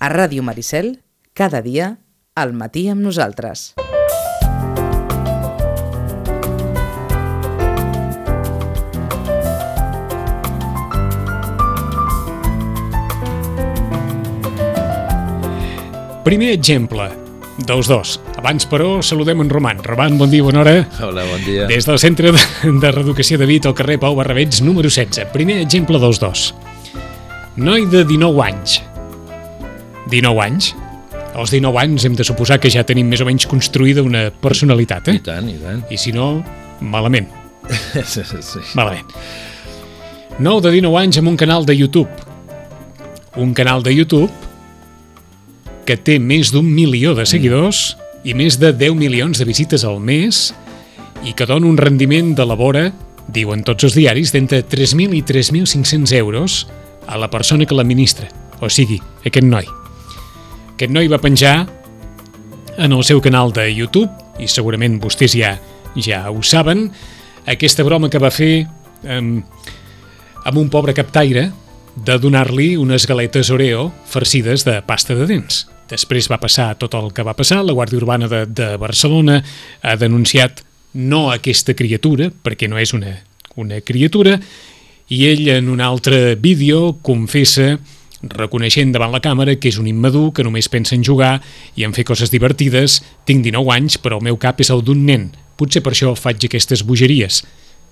A Ràdio Maricel, cada dia, al matí amb nosaltres. Primer exemple dels dos. Abans, però, saludem en Roman. Roman, bon dia, bona hora. Hola, bon dia. Des del Centre de Reeducació de Vic, al carrer Pau Barrabets, número 16. Primer exemple dels dos. Noi de 19 anys. 19 anys? Als 19 anys hem de suposar que ja tenim més o menys construïda una personalitat, I tant, i tant. I si no, malament. Sí. Malament. Nou de 19 anys amb un canal de YouTube. Un canal de YouTube que té més d'1 milió de seguidors i més de 10 milions de visites al mes i que dona un rendiment de la vora, diuen tots els diaris, d'entre 3.000 i 3.500 euros a la persona que l'administra, o sigui, aquest noi. Aquest noi va penjar en el seu canal de YouTube, i segurament vostès ja ho saben, aquesta broma que va fer amb un pobre captaire de donar-li unes galetes Oreo farcides de pasta de dents. Després va passar tot el que va passar, la Guàrdia Urbana de Barcelona ha denunciat no aquesta criatura, perquè no és una criatura, i ell en un altre vídeo confessa, reconeixent davant la càmera que és un immadur, que només pensa en jugar i en fer coses divertides. Tinc 19 anys, però el meu cap és el d'un nen. Potser per això faig aquestes bogeries.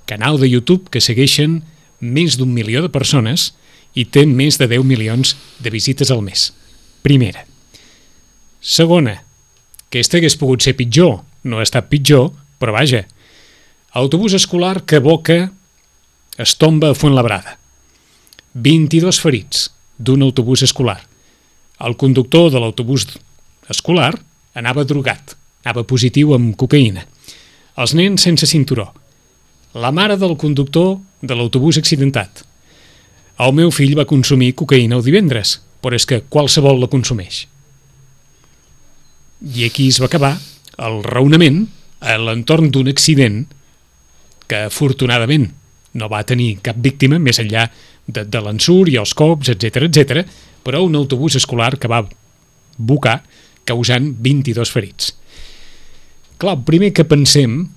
Canal de YouTube que segueixen més d'1 milió de persones i té més de 10 milions de visites al mes. Primera. Segona, aquesta hagués pogut ser pitjor, no ha estat pitjor, però vaja. Autobús escolar que aboca es tomba a Fuenlabrada. 22 ferits d'un autobús escolar. El conductor de l'autobús escolar anava drogat, anava positiu amb cocaïna. Els nens sense cinturó. La mare del conductor de l'autobús accidentat. El meu fill va consumir cocaïna el divendres, però és que qualsevol la consumeix. I aquí es va acabar el raonament a l'entorn d'un accident que afortunadament no va tenir cap víctima més enllà de l'ensurt i els cops, etc, però un autobús escolar que va bocar causant 22 ferits. Clar, el primer que pensem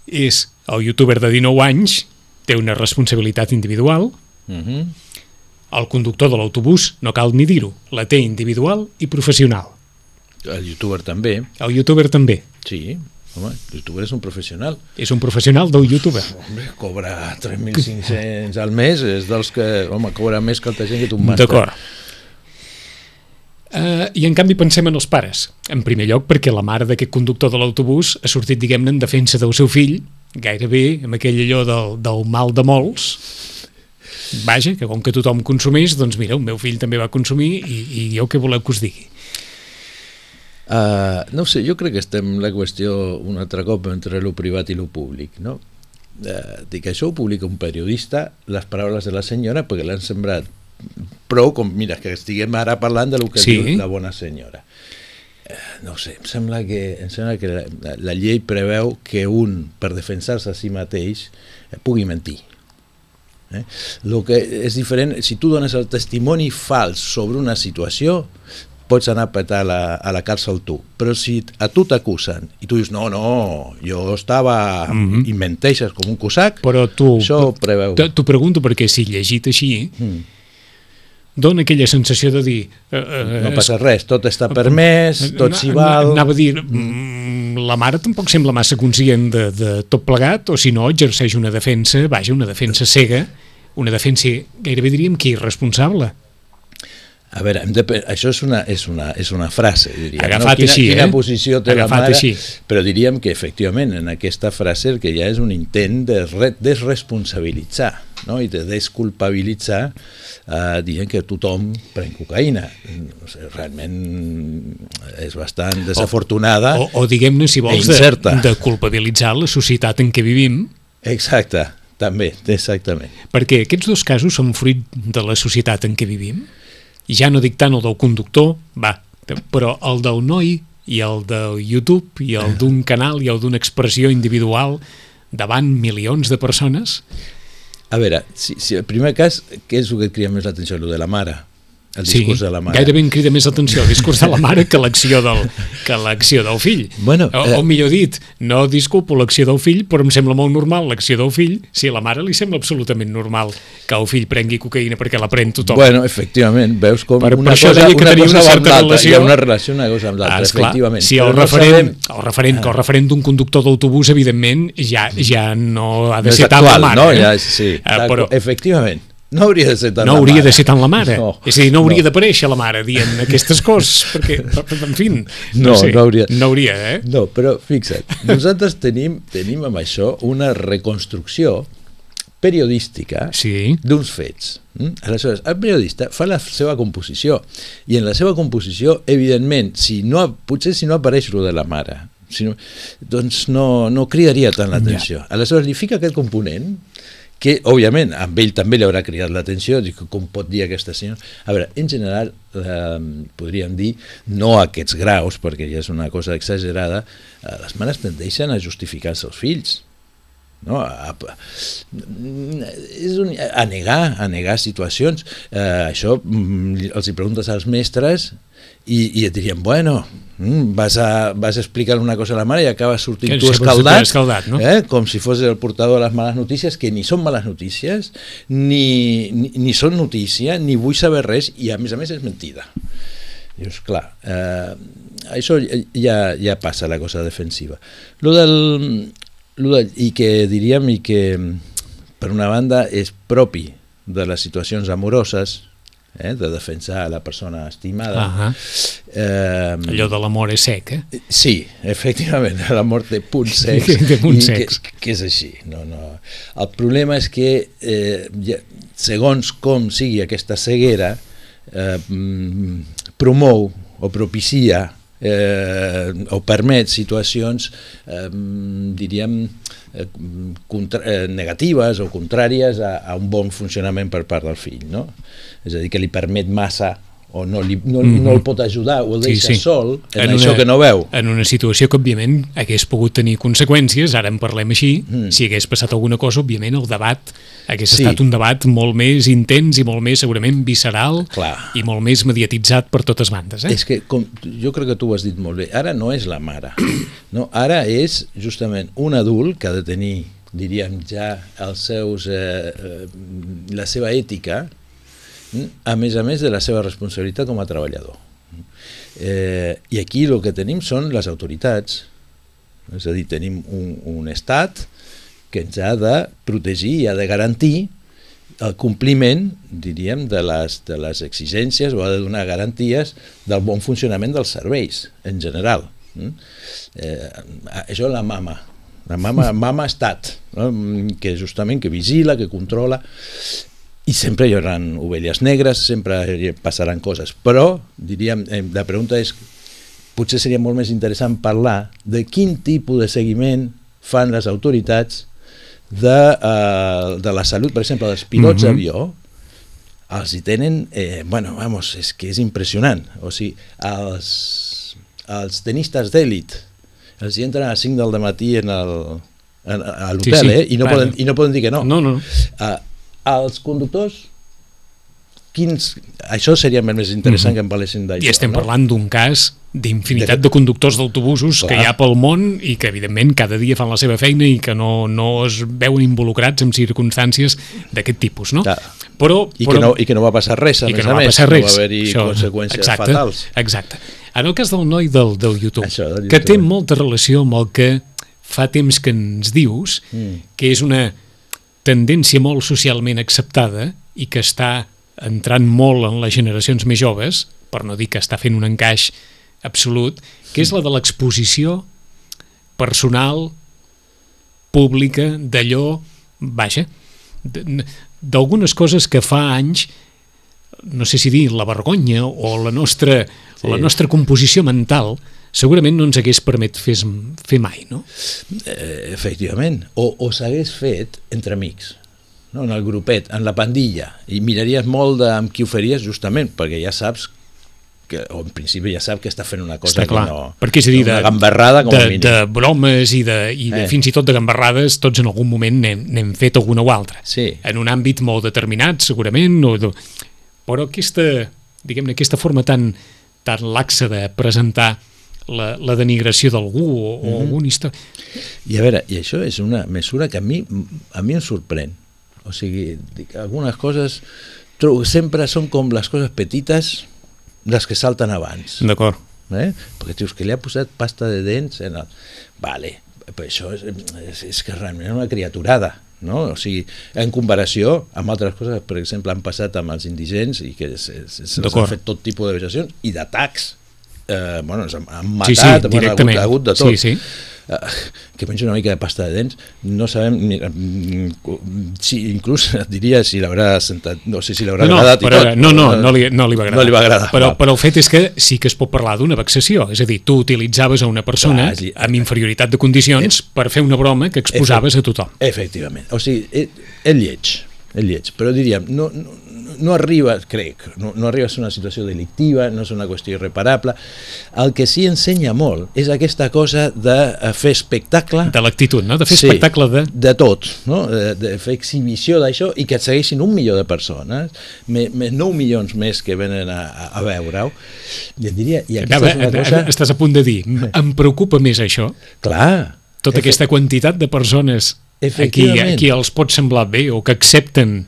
és el youtuber de 19 anys té una responsabilitat individual, el conductor de l'autobús, no cal ni dir-ho, la té individual i professional. El youtuber també. El youtuber també. Sí, home, el youtuber és un professional. És un professional del youtuber. Home, cobra 3.500 al mes, és dels que, home, cobra més que altra gent que tu un màster. D'acord. I en canvi pensem en els pares. En primer lloc perquè la mare d'aquest conductor de l'autobús ha sortit, diguem-ne, en defensa del seu fill, gairebé amb aquell allò del mal de molts. Vaja, que com que tothom consumeix, doncs mira, el meu fill també va consumir i jo què voleu que us digui? No sé, jo crec que estem en la qüestió un altre cop entre lo privat i lo públic, no? Dic, això ho publica un periodista, les paraules de la senyora, perquè l'han sembrat prou, com, mira, que estiguem ara parlant de lo que diu la bona senyora. No sé, em sembla que la llei preveu que un, per defensar-se a si mateix, pugui mentir. El que és diferent, si tu dones el testimoni fals sobre una situació, pots anar a petar a la càrcel tu, però si a tu t'acusen i tu dius no, jo estava i menteixes com un cosac, però això preveu. T'ho pregunto perquè si llegit així dona aquella sensació de dir no passa res, tot està permès, tot s'hi val. Anava a dir, la mare tampoc sembla massa conscient de tot plegat, o si no exerceix una defensa, una defensa cega, una defensa gairebé diríem que irresponsable. A veure, això és una frase, diríem. Agafat així, quina posició té la mare, així. Però diríem que efectivament en aquesta frase el que hi ha és un intent de desresponsabilitzar, no? I de desculpabilitzar dient que tothom pren cocaïna. No sé, realment és bastant desafortunada o diguem-ne, si vols, de culpabilitzar la societat en què vivim. Exacte, també, exactament. Perquè aquests dos casos són fruit de la societat en què vivim. I ja no dic tant el del conductor, però el del noi i el del YouTube i el d'un canal i el d'una expressió individual davant milions de persones. A veure, si el primer cas, què és el que et crida més l'atenció? El de la mare. el discurs de la mare. Gairebé em crida més l'atenció el discurs de la mare que l'acció del fill. Bueno, o millor dit, no disculpo l'acció del fill, però em sembla molt normal l'acció del fill, si a la mare li sembla absolutament normal que el fill prengui cocaïna perquè la pren tothom. Bueno, efectivament, veus com per una això cosa, deia que una tenia cosa una va amb certa l'altra, relació. hi ha una relació una cosa amb l'altra, efectivament. Si el referent d'un conductor d'autobús, evidentment, ja no ha de ser tant la mare. No, ja, sí, però efectivament. No hauria de ser tant la mare. No hauria de ser tant la mare. No, és a dir, no hauria d'aparèixer la mare dient aquestes coses, perquè, en fi, no hauria. No hauria, No, però fixa't, nosaltres tenim amb això una reconstrucció periodística d'uns fets. Aleshores, el periodista fa la seva composició, i en la seva composició, evidentment, potser si no apareix lo de la mare, doncs no cridaria tant l'atenció. Aleshores, li fica aquest component que, òbviament, amb ell també li haurà cridat l'atenció, com pot dir aquesta senyora. A veure, en general, podríem dir, no a aquests graus, perquè ja és una cosa exagerada, les mares tendeixen a justificar els seus fills, no? A negar situacions. Això els hi preguntes als mestres i et dirien, bueno, vas a explicar una cosa a la mare i acabes sortint tu escaldat, no? Com si fos el portador de les males notícies, que ni són males notícies, ni són notícia, ni vull saber res, i a més és mentida. Dius, clar, això ja passa la cosa defensiva. I que diríem, i que per una banda és propi de les situacions amoroses, de defensar a la persona estimada. Allò de l'amor és sec, Sí, efectivament, l'amor té punts secs, que és així. El problema és que segons com sigui aquesta ceguera, promou o propicia o permet situacions, diríem, negatives o contràries a un bon funcionament per part del fill, no? És a dir, que li permet massa o no el pot ajudar o el deixa sol en això que no veu. En una situació que, òbviament, hagués pogut tenir conseqüències, ara en parlem així, si hagués passat alguna cosa, òbviament, el debat hagués estat un debat molt més intens i molt més, segurament, visceral i molt més mediatitzat per totes bandes. És que, jo crec que tu ho has dit molt bé, ara no és la mare, no? Ara és justament un adult que ha de tenir, diríem, ja la seva ètica, a més de la seva responsabilitat com a treballador. I aquí el que tenim són les autoritats, és a dir, tenim un estat que ens ha de protegir i ha de garantir el compliment, diríem, de les exigències, o ha de donar garanties del bon funcionament dels serveis, en general. Això la mama estat, que justament que vigila, que controla, i sempre hi haurà ovelles negres, sempre passaran coses, però, diríem, la pregunta és, potser seria molt més interessant parlar de quin tipus de seguiment fan les autoritats de la salut, per exemple, dels pilots d'avió, els hi tenen, és que és impressionant, o sigui, els tenistes d'èlit, els hi entren a les 5 del matí a l'hotel, i no poden dir que no. Els conductors, això seria més interessant que en parlessin d'això. I estem parlant d'un cas d'infinitat de conductors d'autobusos que hi ha pel món i que evidentment cada dia fan la seva feina i que no es veuen involucrats en circumstàncies d'aquest tipus, no? I que no va passar res, a més, no va haver-hi conseqüències fatals. Exacte. En el cas del noi del YouTube, que té molta relació amb el que fa temps que ens dius, que és una tendència molt socialment acceptada i que està entrant molt en les generacions més joves, per no dir que està fent un encaix absolut, que és la de l'exposició personal, pública, d'allò, d'algunes coses que fa anys, no sé si dir la vergonya o la nostra composició mental, segurament no ens hagués permet fer mai, no? Efectivament, o s'hagués fet entre amics, en el grupet, en la pandilla, i miraries molt amb qui ho faries justament, perquè ja saps o en principi ja sap que està fent una cosa que no... Perquè és a dir, una gamberrada com a mínim. De bromes i fins i tot de gamberrades, tots en algun moment n'hem fet alguna o altra. En un àmbit molt determinat, segurament, però aquesta diguem-ne, aquesta forma tan laxa de presentar la denigració d'algú o alguna història. I a veure, i això és una mesura que a mi em sorprèn. O sigui, algunes coses sempre són com les coses petites les que salten abans. D'acord. Perquè dius que li ha posat pasta de dents en el... Vale, però això és que realment és una criaturada, no? O sigui, en comparació amb altres coses, per exemple, han passat amb els indigents i que s'han fet tot tipus de vexacions i d'atacs. Ens han matat, directament. Ha hagut de tot. Sí. Que menja una mica de pasta de dents, no sabem si inclús et diria si l'haurà sentat, no sé si l'haurà agradat i tot. No li va agradar. No li va agradar. Però el fet és que sí que es pot parlar d'una vexació, és a dir, tu utilitzaves a una persona amb inferioritat de condicions per fer una broma que exposaves a tothom. Efectivament, o sigui, és lleig, però diríem, no arriba, crec, no arriba a ser una situació delictiva, no és una qüestió irreparable. El que sí ensenya molt és aquesta cosa de fer espectacle... De l'actitud, no? De fer espectacle de tot, no? De fer exhibició d'això i que et segueixin 1 milió de persones, 9 milions més que venen a veure-ho. I et diria... Estàs a punt de dir, em preocupa més això? Clar. Tota aquesta quantitat de persones a qui els pot semblar bé o que accepten...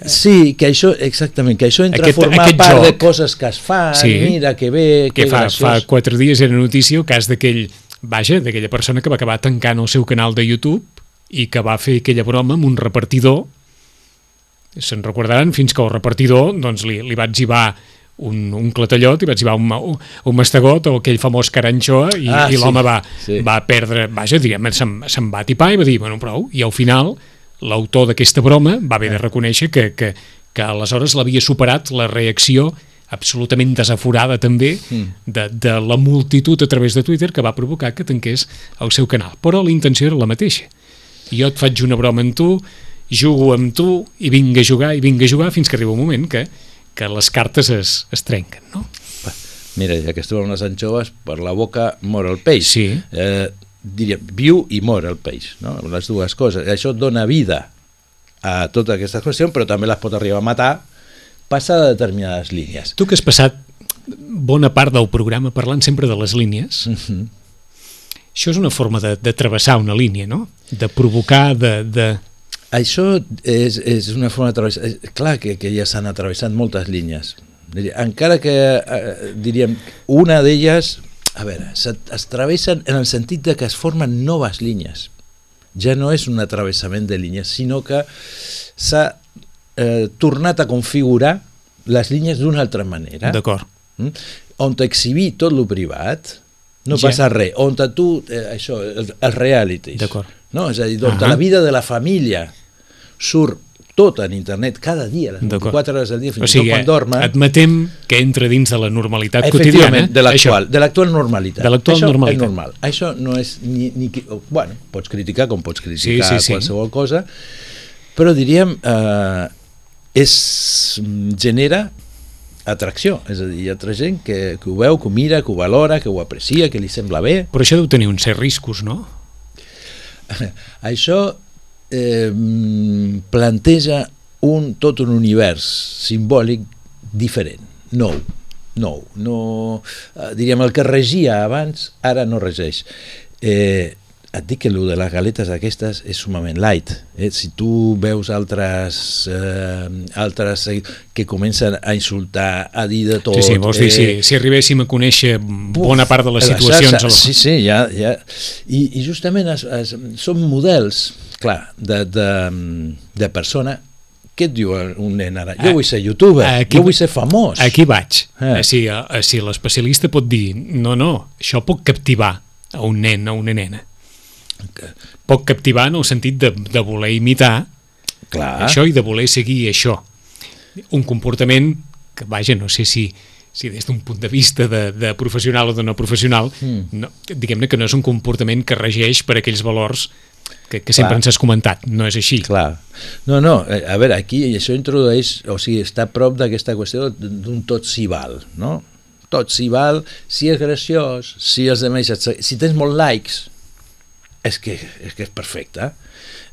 Sí, que això, exactament, que això entra a formar part de coses que es fan, mira que bé, que graciós. Fa 4 dies era notícia el cas d'aquella persona que va acabar tancant el seu canal de YouTube i que va fer aquella broma amb un repartidor. Se'n recordaran fins que el repartidor doncs, li va etzibar un clatellot i va etzibar un mastegot o aquell famós caranxoa i l'home va perdre, se'n va tipar i va dir, bueno, prou, i al final l'autor d'aquesta broma va haver de reconèixer que aleshores l'havia superat la reacció absolutament desaforada també de la multitud a través de Twitter que va provocar que tanqués el seu canal. Però la intenció era la mateixa. Jo et faig una broma amb tu, jugo amb tu i vinc a jugar fins que arriba un moment que les cartes es trenquen, no? Mira, ja que estem amb les anxoves, per la boca mor el peix. Sí. Diria, viu i mor el peix, no? Les dues coses. Això dona vida a totes aquestes qüestions, però també les pot arribar a matar passar de determinades línies. Tu que has passat bona part del programa parlant sempre de les línies, això és una forma de travessar una línia, no? De provocar, Això és una forma de travessar... Clar que ja s'han atravessat moltes línies. Encara que, diríem, una d'elles... A veure, es travessen en el sentit de que es formen noves línies. Ja no és un atravessament de línies, sinó que s'ha tornat a configurar les línies d'una altra manera. D'acord. On t'exhibir tot lo privat, no passa res. On tu, això, els realities. D'acord. No? És a dir, on la vida de la família surt tot en internet, cada dia, les 24 hores al dia, fins i tot quan dormes. Admetem que entra dins de la normalitat quotidiana. Efectivament, de l'actual normalitat. De l'actual normalitat. És normal. Això no és ni... Bueno, pots criticar com pots criticar qualsevol cosa, però diríem, genera atracció, és a dir, hi ha altra gent que ho veu, que ho mira, que ho valora, que ho aprecia, que li sembla bé. Però això deu tenir uns certs riscos, no? Això planteja tot un univers simbòlic diferent, nou. Diríem, el que regia abans ara no regeix. Et dic que el de les galetes aquestes és sumament light. Si tu veus altres que comencen a insultar, a dir de tot... Sí, vols dir, si arribéssim a conèixer bona part de les situacions... Sí, ja. I justament són models, clar, de persona. Què et diu un nen ara? Jo vull ser youtuber, jo vull ser famós. Aquí vaig. Si l'especialista pot dir, no, això pot captivar a un nen, a una nena. Pot captivar en el sentit de voler imitar això i de voler seguir això. Un comportament que, vaja, no sé si des d'un punt de vista de professional o de no professional, diguem-ne que no és un comportament que regeix per aquells valors que sempre ens has comentat, no és així. Clar. No, a veure, aquí això introdueix, o sigui, està a prop d'aquesta qüestió d'un tot s'hi val, no? Tot s'hi val, si és graciós, si els demés, si tens molts likes, és que és perfecte.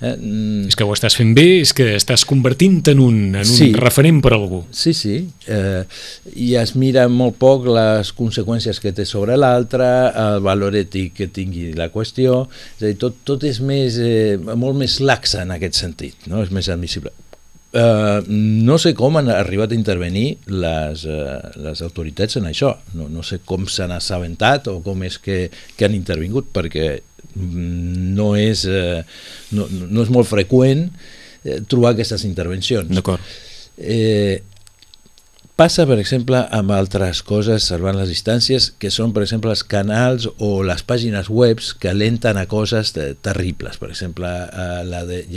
És que ho estàs fent bé, és que estàs convertint en un referent per a algú. Sí, i es mira molt poc les conseqüències que té sobre l'altre, el valor ètic que tingui la qüestió, és a dir, tot és molt més laxa en aquest sentit, no? És més admissible. No sé com han arribat a intervenir les autoritats en això, no sé com s'han assabentat o com és que han intervingut, perquè no és molt freqüent trobar aquestes intervencions. D'acord. Passa, per exemple, amb altres coses salvant les distàncies, que són, per exemple, els canals o les pàgines webs que alenten a coses terribles. Per exemple,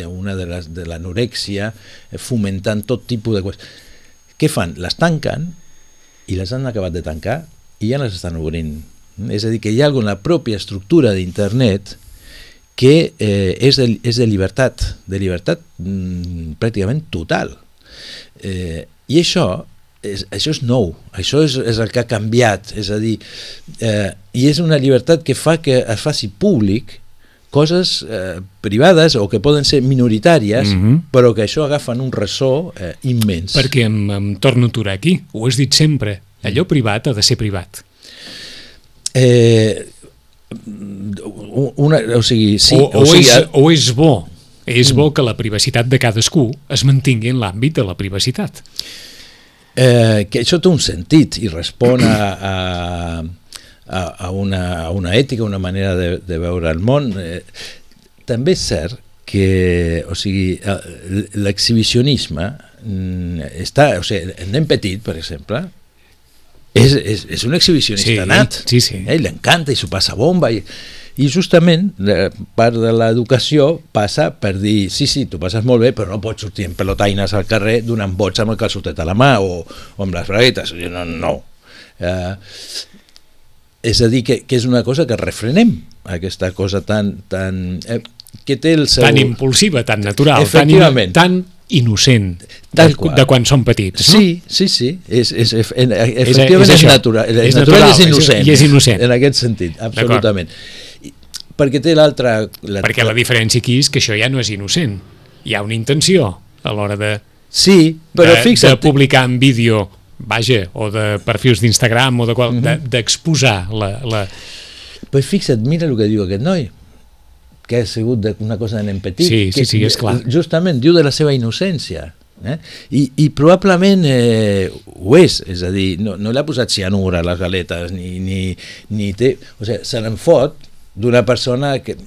una de l'anorèxia, fomentant tot tipus de coses. Què fan? Les tanquen i les han acabat de tancar i ja les estan obrint. És a dir, que hi ha alguna pròpia estructura d'internet que és de llibertat pràcticament total. I això és nou, això és el que ha canviat, és a dir, i és una llibertat que fa que es faci públic coses privades o que poden ser minoritàries, però que això agafen un ressò immens. Perquè em torno a aturar aquí, ho has dit sempre, allò privat ha de ser privat. O és bo que la privacitat de cadascú es mantingui en l'àmbit de la privacitat. Que això té un sentit i respon a una ètica, una manera de veure el món. També és cert que, l'exhibicionisme està, el nen petit, per exemple, és un exhibicionista nat. Ell l'encanta i s'ho passa bomba i justament part de l'educació passa per dir sí, t'ho passes molt bé, però no pots sortir en pelotaines al carrer donant bots amb el calçotet a la mà o amb les braguetes. No. És a dir, que és una cosa que refrenem, aquesta cosa tan que té el seu... Tan impulsiva, tan natural, tan innocent de quan som petits, no? Sí. Efectivament és natural. És natural i és innocent. I és innocent. En aquest sentit, absolutament. Perquè té l'altra... Perquè la diferència aquí és que això ja no és innocent. Hi ha una intenció a l'hora de publicar en vídeo, o de perfils d'Instagram o d'exposar la... Però fixa't, mira el que diu aquest noi, que ha sigut una cosa de nen petit. Sí, és clar. Justament diu de la seva innocència. I probablement ho és a dir, no l'ha posat cianur a les galetes ni té, se n'en fot d'una persona que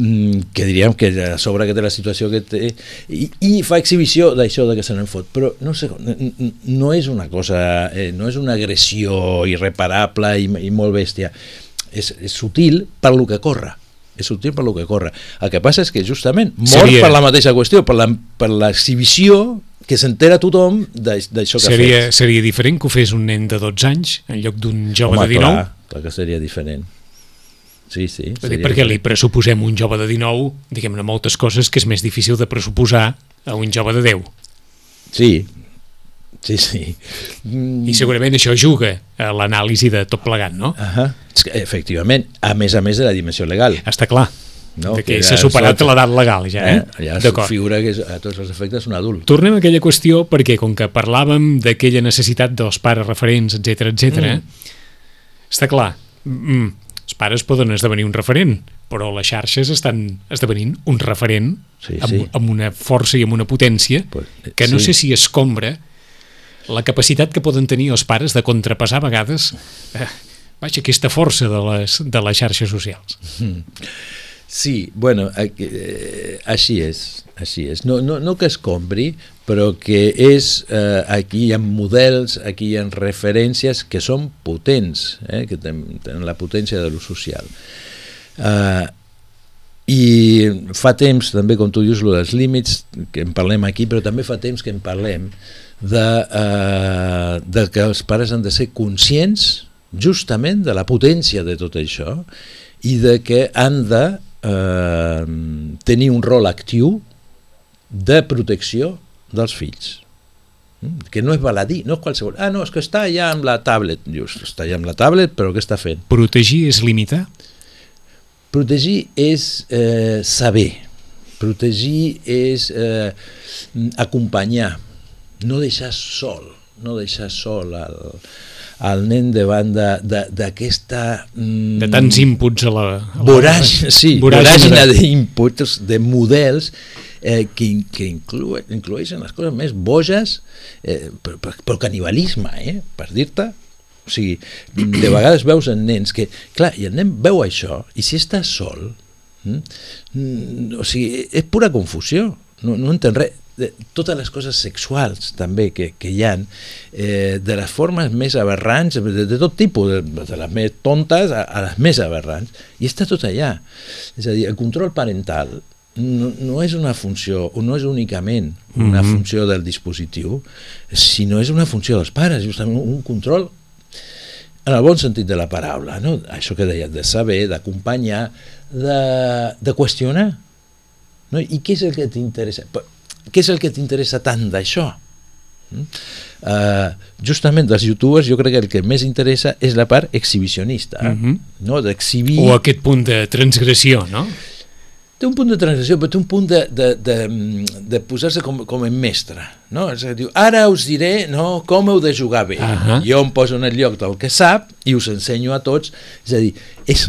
diríem que a sobre que té la situació que té i fa exhibició d'això de que se n'en fot, però no sé, no és una cosa, no és una agressió irreparable i molt bèstia, és sutil per lo que corre. El que passa és que justament mor per la mateixa qüestió, per l'exhibició que s'entera tothom d'això que ha fet. Seria diferent que ho fes un nen de 12 anys en lloc d'un jove de 19? Clar que seria diferent. Sí. Perquè li pressuposem un jove de 19, diguem-ne, moltes coses que és més difícil de pressuposar a un jove de 10. Sí. I segurament això juga a l'anàlisi de tot plegat, no? Efectivament, a més de la dimensió legal. Està clar, que s'ha superat l'edat legal ja, ja es figura que a tots els efectes un adult. Tornem a aquella qüestió perquè com que parlàvem d'aquella necessitat dels pares referents, etc. Està clar, els pares poden esdevenir un referent, però les xarxes estan esdevenint un referent amb una força i amb una potència que no sé si escombra la capacitat que poden tenir els pares de contrapassar a vegades aquesta força de les xarxes socials. Sí, bueno, així és. No que escombri, però que és, aquí hi ha models, aquí hi ha referències que són potents, que tenen la potència de lo social. I fa temps, també, com tu dius, dels límits, que en parlem aquí, però també fa temps que en parlem de que els pares han de ser conscients justament de la potència de tot això i de que han de tenir un rol actiu de protecció dels fills, que no és baladí, no és qualsevol, no, és que està allà amb la tablet. Dius, està allà amb la tablet, però què està fent? Protegir és limitar? Protegir és saber, protegir és acompanyar, no deixar sol el nen davant d'aquesta... De tants inputs a la voràgina d'inputs, de models que incloeixen les coses més boges, però canibalisme, per dir-te. O sigui, de vegades veus en nens que, clar, i el nen veu això, i si està sol, o sigui, és pura confusió, no entén res. Totes les coses sexuals també que hi ha, de les formes més aberrants, de tot tipus, de les més tontes a les més aberrants, i està tot allà. És a dir, el control parental no és una funció, o no és únicament una funció del dispositiu, sinó és una funció dels pares, justament un control en el bon sentit de la paraula, no? Això que deies, de saber, d'acompanyar, de qüestionar, no? I què és el que t'interessa? Què és el que t'interessa tant d'això? Justament dels youtubers jo crec que el que més interessa és la part exhibicionista, no? D'exhibir... O aquest punt de transgressió, no? Té un punt de transgressió, però té un punt de posar-se com en mestre, no? És a dir, ara us diré, no, com heu de jugar bé. Jo em poso en el lloc del que sap i us ensenyo a tots. És a dir, és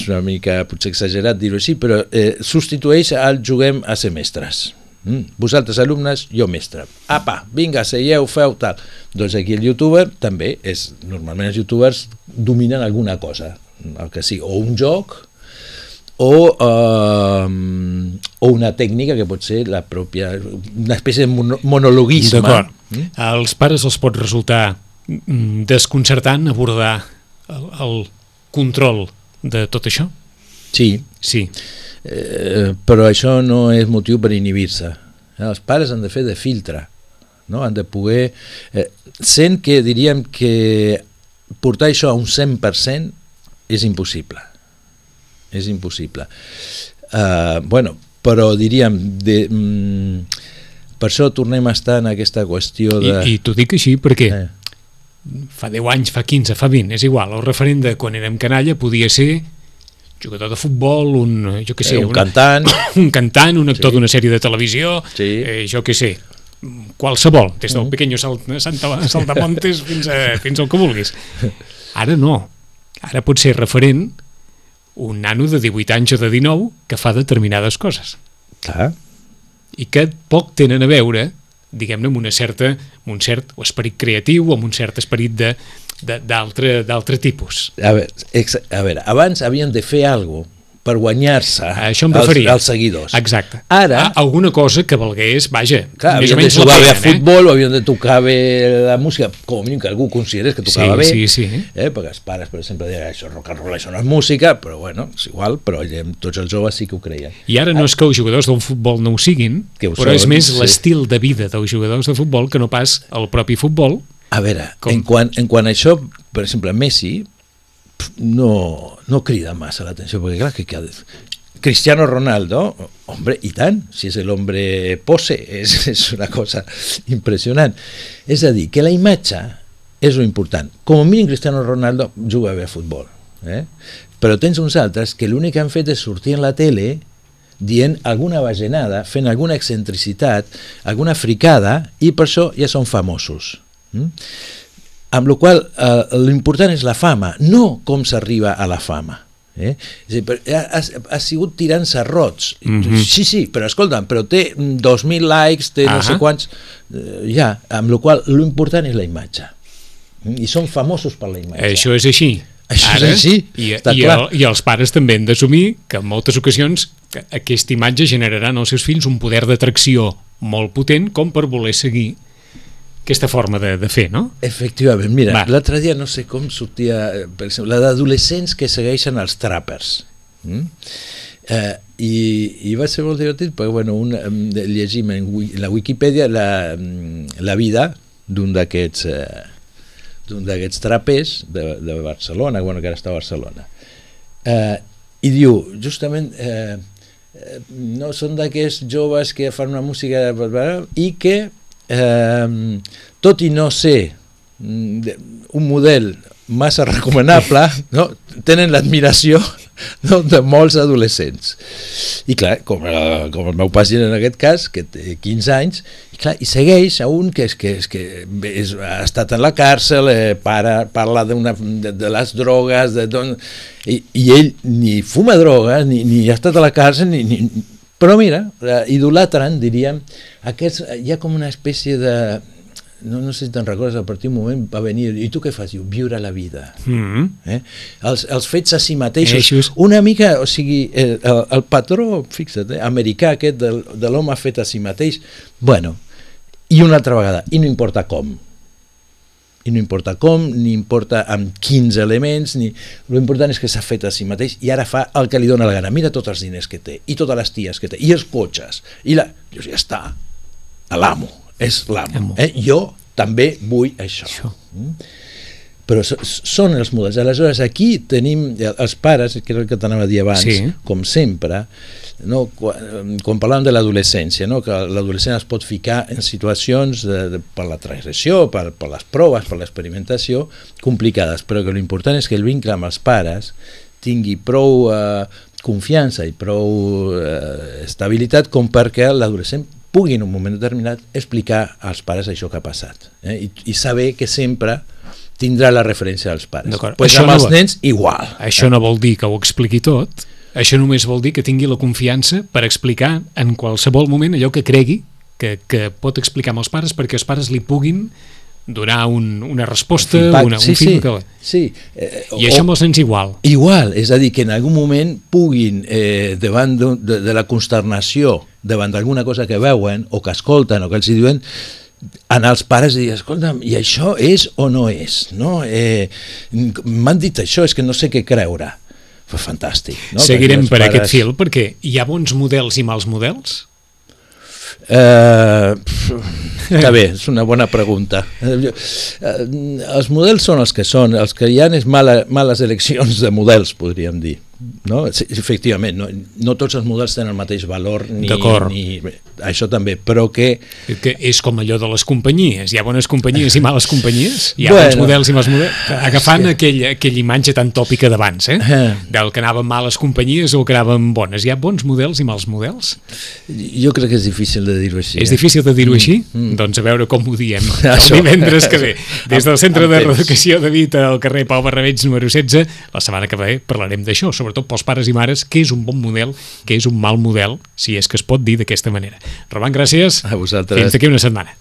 una mica potser exagerat dir-ho així, però substitueix el juguem a ser mestres. Vosaltres alumnes, jo mestre. Apa, vinga, seieu, feu tal. Doncs aquí el youtuber també és, normalment els youtubers dominen alguna cosa, el que sigui, o un joc o una tècnica que pot ser la pròpia, una espècie de monologuisme. D'acord. Als pares els pot resultar desconcertant abordar el control de tot això? Sí. Però això no és motiu per inhibir-se. Els pares han de fer de filtre, no? Han de poder... sent que diríem que portar això a un 100% és impossible. És impossible. Però diríem... per això tornem a estar en aquesta qüestió de... I t'ho dic així perquè fa 10 anys, fa 15, fa 20, és igual. El referent de quan érem canalla podia ser jugador de futbol, un cantant, un actor d'una sèrie de televisió, jo què sé, qualsevol, des del Pequeño Saltamontes fins al que vulguis. Ara no, ara pot ser referent un nano de 18 anys o de 19 que fa determinades coses. Clar. I que poc tenen a veure, diguem-ne, amb un cert esperit creatiu o amb un cert esperit d'altre tipus. A veure, abans havien de fer alguna cosa per guanyar-se els seguidors. Exacte. Ara... alguna cosa que valgués, vaja, clar, més o menys la pena. Havien de jugar bé a futbol, o havien de tocar bé la música, com a mínim que algú considerés que tocava bé. Sí. Perquè els pares, per exemple, deien això és rock and roll, això no és música, però bueno, és igual, però tots els joves sí que ho creien. I ara no és que els jugadors d'un futbol no ho siguin, però és més l'estil de vida dels jugadors de futbol que no pas el propi futbol. A veure, en quant a això, per exemple, Messi no crida massa l'atenció, perquè clar, que Cristiano Ronaldo, hombre, i tant, si és l'hombre pose, és una cosa impressionant. És a dir, que la imatge és lo important. Com a mínim Cristiano Ronaldo juga bé a futbol, però tens uns altres que l'únic que han fet és sortir en la tele dient alguna bajanada, fent alguna excentricitat, alguna fricada, i per això ja són famosos. Amb la qual l'important és la fama, no com s'arriba a la fama. Ha sigut tirant-se rots. Sí, però escolta'm, però té 2.000 likes, té no sé quants... amb la qual l'important és la imatge. I són famosos per la imatge. Això és així. Això és així, està clar. I els pares també han d'assumir que en moltes ocasions aquesta imatge generarà en els seus fills un poder d'atracció molt potent com per voler seguir aquesta forma de fer, no? Efectivament, mira, l'altre dia no sé com sortia, per exemple, la d'adolescents que segueixen els trappers. I va ser molt divertit perquè, bueno, llegim en la Wikipedia la vida d'un d'aquests trapers de Barcelona, bueno, que ara està a Barcelona. I diu, justament, no són d'aquests joves que fan una música i que tot i no ser un model massa recomanable, no? Tenen l'admiració de molts adolescents. I clar, com el meu pacient en aquest cas, que té 15 anys, i clar, i segueix a un que ha estat en la càrcel, parla de les drogues, i ell ni fuma drogues, ni ha estat a la càrcel, però mira, idolatren, diríem, hi ha com una espècie de... No sé si te'n recordes, a partir d'un moment va venir, i tu què fas? Diu, viure la vida. Els fets a si mateixos. Una mica, o sigui, el patró, fixa't, americà aquest de l'home fet a si mateix, bueno, i una altra vegada, i no importa com. I no importa com, ni importa amb quins elements, l'important és que s'ha fet a si mateix i ara fa el que li dóna la gana. Mira tots els diners que té, i totes les ties que té, i els cotxes, i ja està, l'amo. És l'amo. Jo també vull això. Però són els models. Aleshores, aquí tenim els pares, que era el que t'anava a dir abans, com sempre, quan parlàvem de l'adolescència, que l'adolescent es pot ficar en situacions per la transgressió, per les proves, per l'experimentació, complicades, però que l'important és que el vincle amb els pares tingui prou confiança i prou estabilitat com perquè l'adolescent pugui en un moment determinat explicar als pares això que ha passat, i saber que sempre tindrà la referència dels pares. Pues amb els nens igual. Això no vol dir que ho expliqui tot, això només vol dir que tingui la confiança per explicar en qualsevol moment allò que cregui que pot explicar amb els pares, perquè els pares li puguin donar una resposta, un feedback. Sí. I això amb els nens igual. Igual, és a dir, que en algun moment puguin, davant de la consternació, davant d'alguna cosa que veuen o que escolten o que els diuen, anar als pares i dir, escolta'm, i això és o no és? M'han dit això, és que no sé què creure. Fantàstic. Seguirem per aquest fil, perquè hi ha bons models i mals models? Està bé, és una bona pregunta. Els models són els que són, els que hi ha és males eleccions de models, podríem dir. Efectivament, no tots els models tenen el mateix valor, això també, però que és com allò de les companyies, hi ha bones companyies i males companyies, hi ha bons models i mals models, agafant aquella imatge tan tòpica d'abans, del que anaven males companyies o que anaven bones. Hi ha bons models i mals models? Jo crec que és difícil de dir-ho així. És difícil de dir-ho així? Doncs a veure com ho diem el divendres que ve, des del Centre de Reeducació de Vita al carrer Pau Barrabets número 16. La setmana que ve parlarem d'això, sobretot pels pares i mares, què és un bon model, què és un mal model, si és que es pot dir d'aquesta manera. Roman, gràcies. A vosaltres. Fins d'aquí una setmana.